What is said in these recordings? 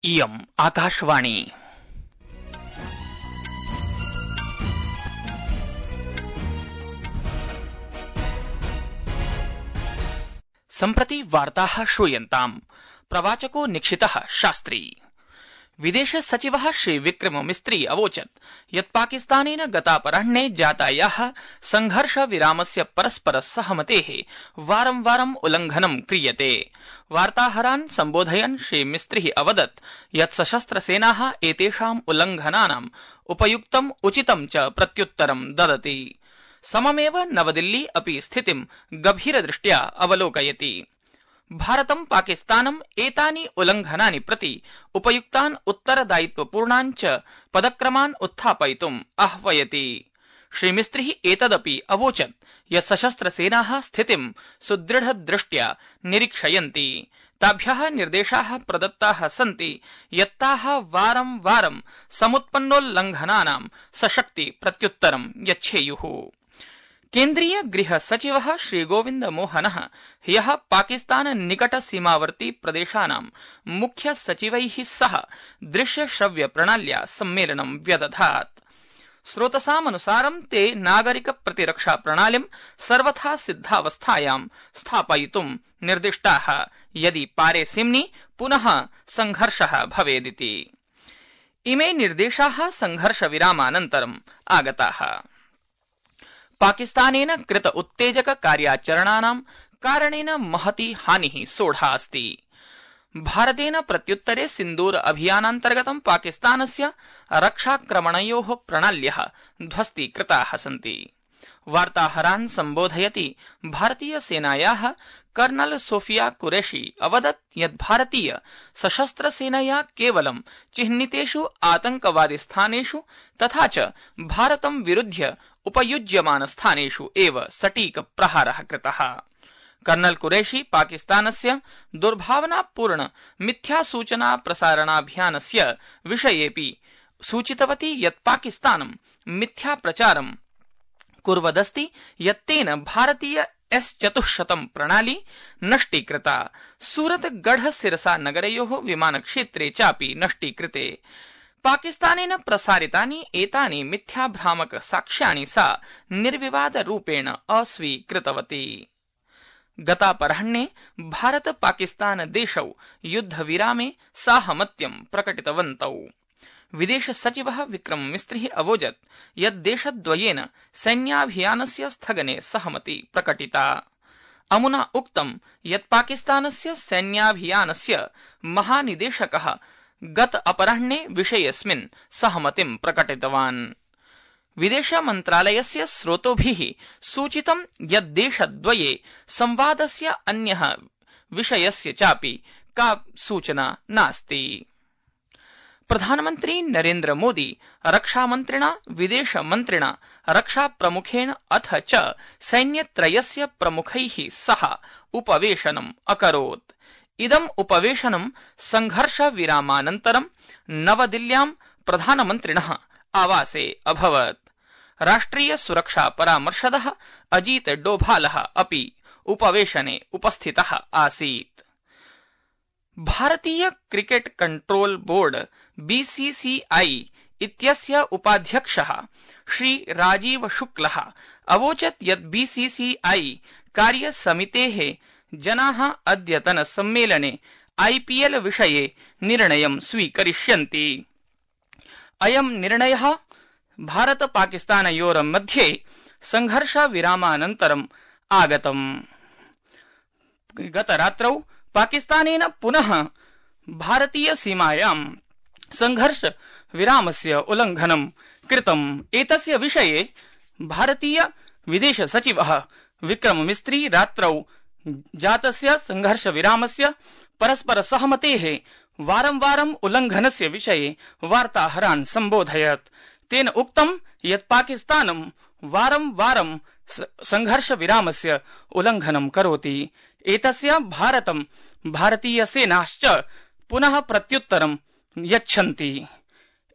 इयम् आकाशवाणी। सम्प्रति वार्ताः श्रूयन्ताम्। प्रवाचको निक्षितः शास्त्री। विदेश सचिवः श्री विक्रम मिस्त्री अवोचत् यत् पाकिस्तानेन गतापराह्ने जातायाः संघर्ष विरामस्य परस्पर सहमतेः वारं वारम् उल्लंघनं क्रियते। वार्ताहरान् सम्बोधयन् श्री मिस्त्री अवदत् यत् सशस्त्रसेनाः एतेषाम् उल्लंघनानाम् उपयुक्तम् उचितं च प्रत्युत्तरं ददति। सममेव नवदिल्ली अपि स्थितिं गभीरदृष्ट्या अवलोकयति। भारतं पाकिस्तानम् एतानि उल्लंघनानि प्रति उपयुक्तान् उत्तरदायित्वपूर्णान् च पदक्रमान् उत्थापयितुम् आह्वयति। श्री मिस्त्री एतदपि अवोचत् यत् सशस्त्रसेनाः स्थितिं सुदृढदृष्ट्या निरीक्षयन्ति। ताभ्यः निर्देशाः प्रदत्ताः सन्ति यत्ताः वारं वारं समुत्पन्नोल्लंघनानां सशक्ति प्रत्युत्तरं यच्छेयुः। केन्द्रीय गृह सचिवः श्री गोविन्द मोहनः ह्यः पाकिस्तान निकट सीमावर्ती प्रदेशानां मुख्य सचिवैः सह दृश्य श्रव्य प्रणाल्या सम्मेलनं व्यदधात्। स्रोतसामनुसारं ते नागरिक प्रतिरक्षा प्रणालीं सर्वथा सिद्धावस्थायां स्थापयितुं निर्दिष्टाः यदि पारेसिम्नि पुनः संघर्षः भवेदिति। इमे निर्देशाः संघर्ष विरामानन्तरम् आगताः। पाकिस्तानेन कृत उत्तेजक कार्याचरणानां कारणेन महती हानिः सोढा अस्ति। भारतेन प्रत्युत्तरे सिन्दूर अभियानान्तर्गतं पाकिस्तानस्य रक्षाक्रमणयोः प्रणाल्यः ध्वस्तीकृताः सन्ति। वार्ताहरान् सम्बोधयति भारतीय सेनायाः कर्नल सोफिया कुरैशी अवदत् यत् भारतीय सशस्त्र सेनया केवलं चिह्नितेषु आतंकवादी स्थानेषु तथा च भारतं विरुध्य उपयुज्यमान स्थानेषु एव सटीक प्रहारः कृतः। कर्नल कुरैशी पाकिस्तानस्य दुर्भावनापूर्ण मिथ्यासूचना प्रसारणाभियानस्य विषयेऽपि सूचितवती यत् पाकिस्तानं मिथ्याप्रचारं कुर्वदस्ति यत्तेन भारतीय S-400 प्रणाली नष्टीकृता। सूरतगढ़ सिरसा नगरयोः विमानक्षेत्रे चापि नष्टीकृते। पाकिस्तानेन प्रसारितानि एतानि मिथ्याभ्रामक साक्ष्याणि सा निर्विवादरूपेण अस्वीकृतवती। गतापराह्ने भारत पाकिस्तान देशौ युद्धविरामे साहमत्यं प्रकटितवन्तौ। विदेश सचिवः विक्रम मिस्त्री अवोचत् यत् देशद्वयेन सैन्याभियानस्य स्थगने सहमति प्रकटिता। अमुना उक्तं यत् पाकिस्तानस्य सैन्याभियानस्य महानिदेशकः गत अपराह्ने विषयेऽस्मिन् सहमतिं प्रकटितवान्। विदेश मन्त्रालयस्य स्रोतोभिः सूचितं यत् देशद्वये संवादस्य अन्यः विषयस्य चापि का सूचना नास्ति। प्रधानमन्त्री नरेन्द्र मोदी रक्षामन्त्रिणा विदेशमन्त्रिणा रक्षाप्रमुखेण अथ च सैन्यत्रयस्य प्रमुखैः सह उपवेशनम् अकरोत्। इदम् उपवेशनं संघर्षविरामानन्तरं नवदिल्ल्यां प्रधानमन्त्रिणः आवासे अभवत्। राष्ट्रिय सुरक्षा परामर्शदः अजीत डोभालः अपि उपवेशने उपस्थितः आसीत्। भारतीय क्रिकेट कंट्रोल बोर्ड BCCI इत्यस्य उपाध्यक्षः श्री राजीव शुक्लः अवोचत् यत् BCCI कार्यसमितेः जनाः अद्यतन सम्मेलने IPL विषये निर्णयं स्वीकरिष्यन्ति। अयं निर्णयः भारत पाकिस्तानयोर्मध्ये संघर्ष विरामानन्तरम् आगतम्। गतरात्रौ पाकिस्तानेन पुनः भारतीय सीमायां संघर्ष विरामस्य उल्लंघनं कृतम्। एतस्य विषये भारतीय विदेश सचिवः विक्रम मिस्त्री रात्रौ जातस्य संघर्ष विरामस्य परस्पर सहमतेः वारं वारम् उल्लंघनस्य विषये वार्ताहरान् सम्बोधयत्। तेन उक्तं यत् पाकिस्तानं वारं वारं संघर्ष विरामस्य उल्लंघनं करोति। एतस्य भारतं भारतीय सेनाश्च पुनः प्रत्युत्तरं यच्छन्ति।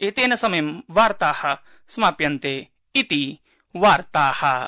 एतेन समयं वार्ताः समाप्यन्ते इति वार्ताः।